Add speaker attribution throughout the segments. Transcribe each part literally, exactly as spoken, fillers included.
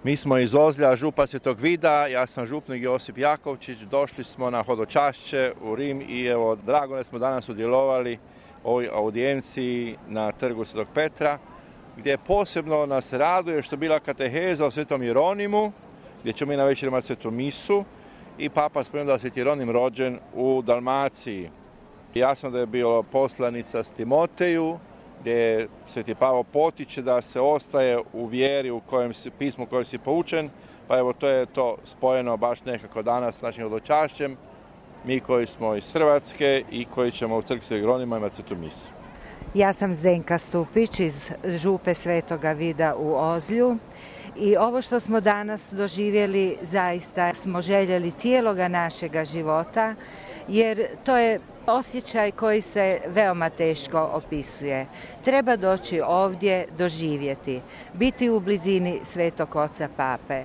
Speaker 1: Mi smo iz Ozlja, župa Svetog Vida, ja sam župnik Josip Jakovčić, došli smo na hodočašće u Rim i evo, drago da smo danas udjelovali u ovoj audijenciji na trgu Svetog Petra, gdje posebno nas raduje što je bila kateheza o Svetom Jeronimu, gdje ćemo mi na večer imati svetu misu i Papa spomenuo da je Sveti Jeronim rođen u Dalmaciji. Jasno da je bilo poslanica s Timoteju, gdje Sveti Pavao potiče da se ostaje u vjeri u kojem si, pismu u kojem si poučen, pa evo to je to spojeno baš nekako danas s našim hodočašćem, mi koji smo iz Hrvatske i koji ćemo u crkvi Svetog Jeronima imati svetu misu.
Speaker 2: Ja sam Zdenka Stupić iz župe Svetoga Vida u Ozlju i ovo što smo danas doživjeli zaista smo željeli cijeloga našega života, jer to je osjećaj koji se veoma teško opisuje. Treba doći ovdje, doživjeti, biti u blizini Svetog Oca Pape.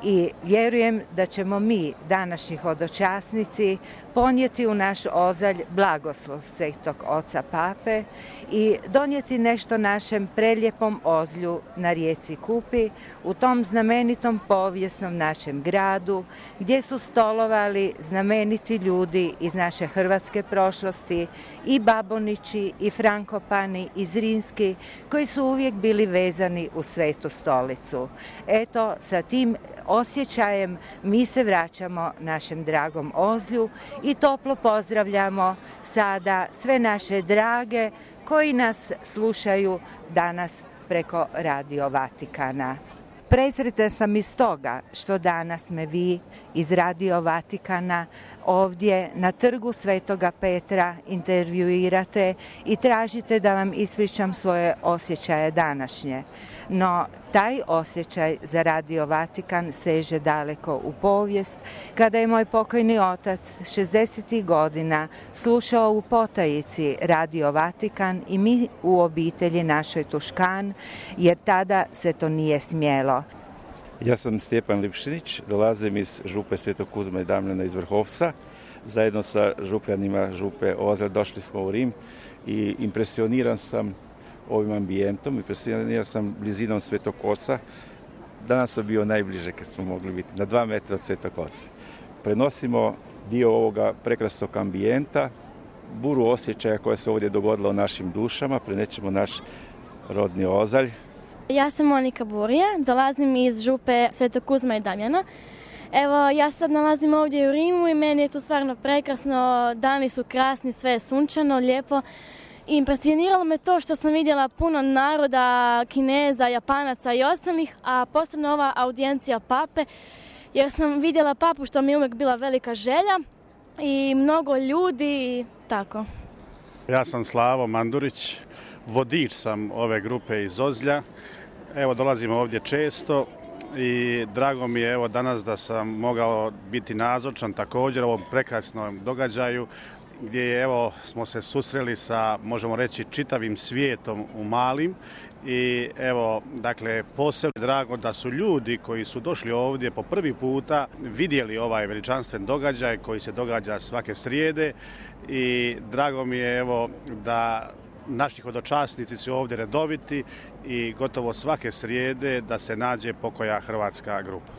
Speaker 2: I vjerujem da ćemo mi, današnji hodočasnici, ponijeti u naš Ozalj blagoslov Svetog Oca Pape i donijeti nešto našem preljepom Ozlju na rijeci Kupi, u tom znamenitom povijesnom našem gradu, gdje su stolovali znameniti ljudi iz naše hrvatske prošlosti, i Babonići, i Frankopani, i Zrinski, koji su uvijek bili vezani u Svetu stolicu. Eto, sa tim osjećajem mi se vraćamo našem dragom Ozlju i toplo pozdravljamo sada sve naše drage koji nas slušaju danas preko Radio Vatikana. Presretna sam iz toga što danas me vi iz Radio Vatikana ovdje na trgu Svetoga Petra intervjuirate i tražite da vam ispričam svoje osjećaje današnje. No, taj osjećaj za Radio Vatikan seže daleko u povijest, kada je moj pokojni otac šezdesetih godina slušao u potajici Radio Vatikan i mi u obitelji našoj Tuškan, jer tada se to nije smjelo.
Speaker 3: Ja sam Stjepan Lipšinić, dolazim iz župe Svetog Kuzma i Damjana iz Vrhovca. Zajedno sa župljanima župe Ozalj došli smo u Rim i impresioniran sam ovim ambijentom, impresioniran sam blizinom Svetog Oca. Danas sam bio najbliže kad smo mogli biti, na dva metra od Svetog Oca. Prenosimo dio ovoga prekrasnog ambijenta, buru osjećaja koja se ovdje dogodila u našim dušama, prenećemo naš rodni Ozalj.
Speaker 4: Ja sam Monika Burija, dolazim iz župe Svetog Kuzma i Damjana. Evo, ja sad nalazim ovdje u Rimu i meni je tu stvarno prekrasno, dani su krasni, sve je sunčano, lijepo. I impresioniralo me to što sam vidjela puno naroda, Kineza, Japanaca i ostalih, a posebno ova audijencija Pape, jer sam vidjela Papu što mi je uvijek bila velika želja i mnogo ljudi i tako.
Speaker 5: Ja sam Slavo Mandurić, vodič sam ove grupe iz Ozlja. Evo, dolazim ovdje često i drago mi je evo danas da sam mogao biti nazočan također ovom prekrasnom događaju gdje je, evo, smo se susreli sa, možemo reći, čitavim svijetom u malim i evo, dakle, posebno drago da su ljudi koji su došli ovdje po prvi puta vidjeli ovaj veličanstven događaj koji se događa svake srijede i drago mi je, evo, da naši hodočasnici su ovdje redoviti i gotovo svake srijede da se nađe pokoja hrvatska grupa.